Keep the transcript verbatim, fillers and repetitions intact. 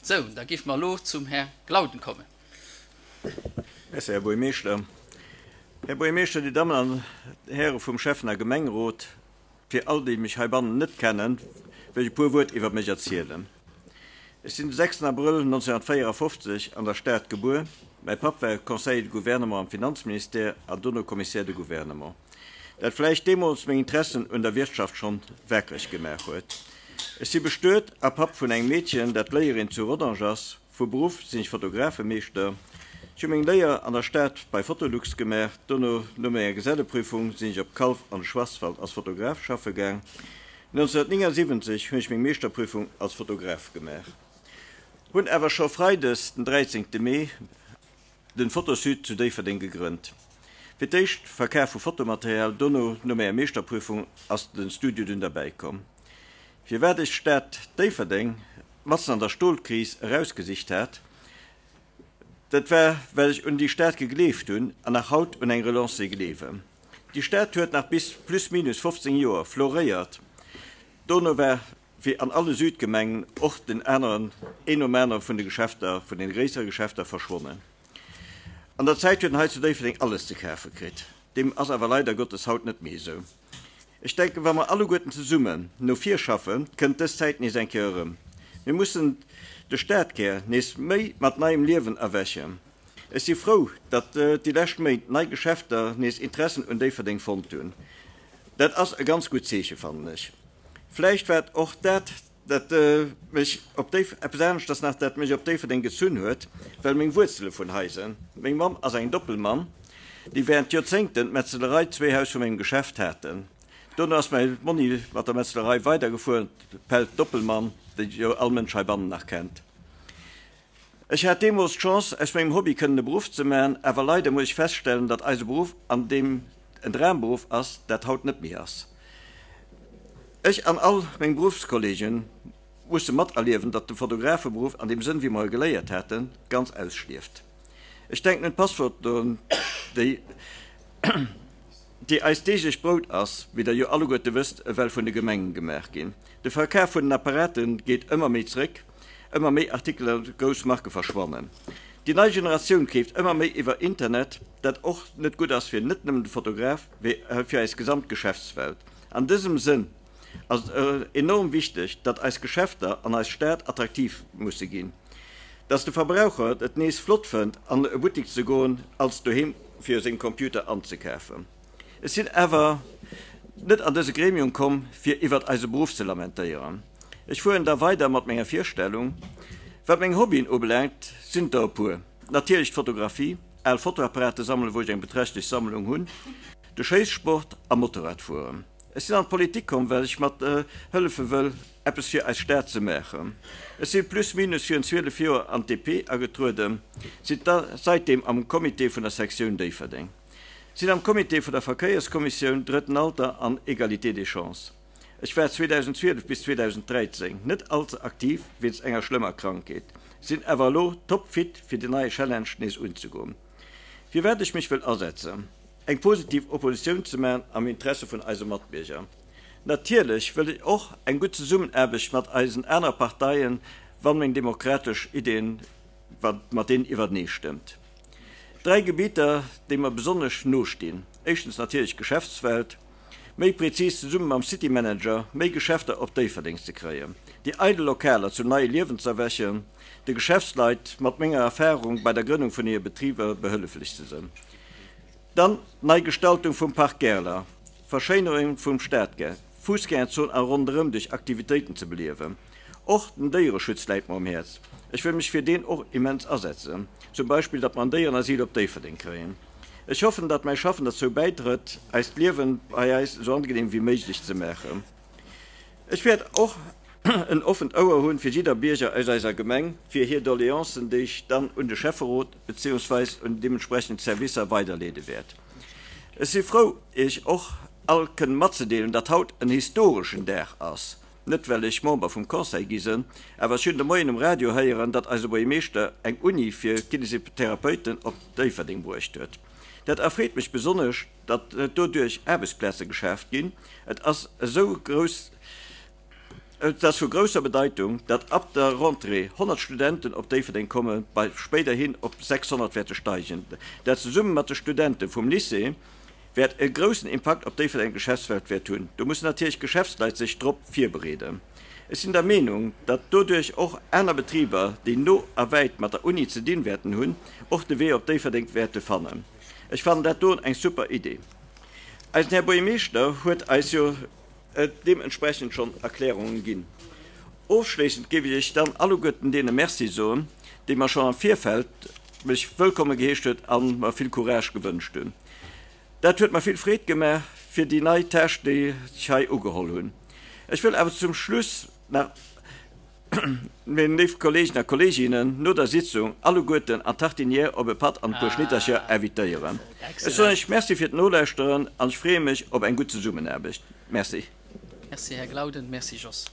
Sou, da géife mer elo zum Här Glauden kommen. Merci, Här Buergermeeschter. Här Buergermeeschter, Dir Dammen an Häre vum Schäffen a Gemengerot, fir all déi mech heibannen net kennen, wëll ech e puer Wuert iwwer mech erzielen. Ech sinn de sechsten Abrëll nonzénhunnertvéierafofzeg an der Stad gebuer. Mäi Papp war Conseiller de Gouvernement am Finanzministère an dono Commissaire de Gouvernement. Dat vläicht deemools meng Interessen un der Wirtschaft schonn wakereg gemaach huet. Ech si bestuet a Papp vun engem Meedchen, dat Léierin zu Rodange ass. Vu Beruff sinn ech Fotografemeeschter. Ech hu meng Léier an der Stad bei Fotolux gemaach. Dono, no menger Geselleprüfung, sinn ech op Calw an de Schwarzwald als Fotograf schaffe gaang. nonzénhunnertnéngasiwwenzeg hunn ech meng Meeschterprüfung als Fotograf gemaach. Hunn awer scho freides den dräizéngte Mee den Photosud zu Déifferdeng gegrënnt. Fir d'éischt Verkaf vu Fotomaterial, dono, no menger Meeschterprüfung, ass den Studio dunn derbäi komm. Firwat ech d'Stad Déifferdeng matzen an der Stolkris erausgesicht hat, dat war well ech un déi Stad gegleeft hunn an nach haut un eng Relance gleewen. Déi Stad huet nach bis plus minus fofzéng Joer floréiert, dono war wéi an alle Südgemengen och den aneren, een nom anere vun de Geschäfter, vun den gréissere Geschäfter verschwonnen. An der Zäit huet en hei zu Déifferdeng alles ze kafe kritt. Deem ass awer leider Gottes haut net méi esou. Ech denken, wa mer alleguerten zesummen no vir schaffen, kënnt dës Zäit nees eng Kéier erëm. Mir mussen de Stadkär nees méi mat neiem Liewen erwächen. Ech si frou, datt déi lescht Méint nei Geschäfter nees Interessen un Déifferdeng fonnt hunn. Dat ass e ganz gutt Zeeche, fannen ech. Vläicht war et och dat, dat mech op Déif, eppes aneschters nach, dat mech op Déifferdeng gezunn huet, well meng Wuerzele vun hei sinn. Meng Mamm ass eng Doppelmann, déi während Joerzéngten d'Metzelerei zwee Haus vu mengem Geschäft haten. Dono ass mäi Monni mat der Metzelerei weidergefuer, d'Pelt Doppelmann, déi jo all Mënsch heibannen nach kennt. Ech hat deemools d'Chance, aus mengem Hobby kënnen e Beruff ze maachen, awer leider muss ech feststellen, datt eise Beruff, an deem en Dramberuff ass, dat haut net méi ass. Ech an all meng Beruffskollegen musse materliewen, datt de Fotografeberuff an deem Sënn, wéi mer e geléiert haten, ganz ausstierft. Ech denken un d'Passfotoen, déi déi eist deeglecht Brout ass, wéi Der jo alleguerte wësst, ewell vun de Gemengen gemaach ginn. De Verkaf vun den Apparate geet ëmmer méi zréck, ëmmer méi Artikelen a grouss Marke verschwannen. Déi nei Generatioun keeft ëmmer méi iwwer Internet, dat och net gutt ass fir net nëmmen de Fotograf, mee fir eis gesamt Geschäftswelt. An dësem Sënn ass et enorm wichteg, datt eis Geschäfter an eis Stad attraktiv musse ginn, datt de Verbraucher et nees flott fënnt, an e Buttik ze goen, als doheem fir sengem Computer anzekafen. Ech sinn awer net an dëse Gremium komm, fir iwwert eise Beruff ze lamentéieren. Ech fueren da weider mat menger Virstellung. Wat meng Hobbyen ubelaangt, sinn et der e puer. Natierlech d'Fotografie, al Fotoapparate sammelen, wou ech eng beträchtlech Sammlung hunn, de Schéissport a Motorradfueren. Ech sinn an d'Politik komm, well ech mat hëllefe wëll, eppes fir eis Stad ze maachen. Ech si plus minus virun zwielef Joer an d'D P agetrueden, sinn saitdeem am Comité vun der Sektioun Déifferdeng, sinn am Comité vun der Verkéierskommissioun, Drëtten Alter an Égalité des chances. Ech war zweedausendzwielef bis zweedausendräizéng net all ze aktiv wéinst enger schlëmmer Krankheet, sinn awer elo topfit fir den neie Challenge nees unzegoen. Firwat ech mech wëll asetzen? Eng positiv Oppositioun ze maachen am Interesse vun eise Matbierger. Natierlech wëll ech och eng gutt Zesummenaarbecht mat eisen anere Parteien, wann meng demokratesch Ideen mat deenen iwwertenee stëmmt. Dräi Gebieter, déi mer besonnesch nostinn, éischtens natierlech d'Geschäftswelt, méi prezis zesumme mam City Manager méi Geschäfter op Déifferdeng ze kréien, déi eidel Lokaler zum neie Liewen z'erwächen, de Geschäftsleit mat menger Erfahrung bei der Grënnung vun hire Betriber behëlleflech ze sinn. Dann d'Neigestaltung vum Park Gerler, Verschéinerung vum Stadkär, Fussgängerzon a ronderëm duerch Aktivitéiten ze beliewen. Och den Déiereschutz läit mer um Häerz. Ech wëll mech fir deen och immens asetzen, zum Beispill datt mer en Déierenasyl op Déifferdeng kréien. Ech hoffen, datt mäi Schaffen derzou bäidrëtt, eist Liewen bei eis esou angenehm wéi méiglech ze maachen. Ech wäert och en offent Ouer hunn fir jidder Bierger aus eiser Gemeng, fir hir Doleancen, déi ech dann un de Schäfferot beziehungsweis un déi deementsprechend Servicer weiderleede wäert. Ech si frou, Iech och all kënnen matzedeelen, datt haut en historeschen Dag ass, net well ech Member vum Conseil gi sinn, awer ech hunn de Moien um Radio héieren, datt eise Buergermeeschter eng Uni fir Kinesitherapeuten op Déifferdeng bruecht huet. Dat erfreet mech besonnesch, datt doduerch Aarbechtsplaze geschaaft ginn. Et ass esou grouss, Et ass vu grousser Bedeitung, datt ab der Rentrée honnert Studenten op Déifferdeng kommen, bei spéiderhin op sechshonnert wäerte steigen. Dat zesumme mat de Studente vum Lycée wäert e groussen Impakt op d'Déifferdenger Geschäftswelt wäert hunn. Do mussen natierlech d'Geschäftsleit sech drop virbereeden. Ech sinn der Meenung, datt doduerch och aner Betriber, déi no a wäit mat der Uni ze dinn wäerten hunn, och de Wee op Déifferdeng wäerte fannen. Ech fannen dat doen eng super Idee. Eisen Här Buergermeeschter huet eis jo deementsprechend schonn Erklärungen ginn. Ofschléissend géif ech dann alleguerten deene Merci soen, déi mer schonn am Virfeld mech wëllkomme geheescht huet a mer vill Courage gewënscht hunn. Dat huet mer vill Freed gemaach fir déi nei Tâche, déi ech hei ugeholl hunn. Ech wëll awer zum Schluss nach meng léif Kollegen a Kolleginnen no der Sitzung alleguerten an d'Tartinière op e Patt an e puer Schnittercher invitéieren. Ech soen Iech Merci fir d'Nolauschteren an ech freeë mech op eng gutt Zesummenaarbecht. Merci. Merci, Här Glauden. Merci, Jos.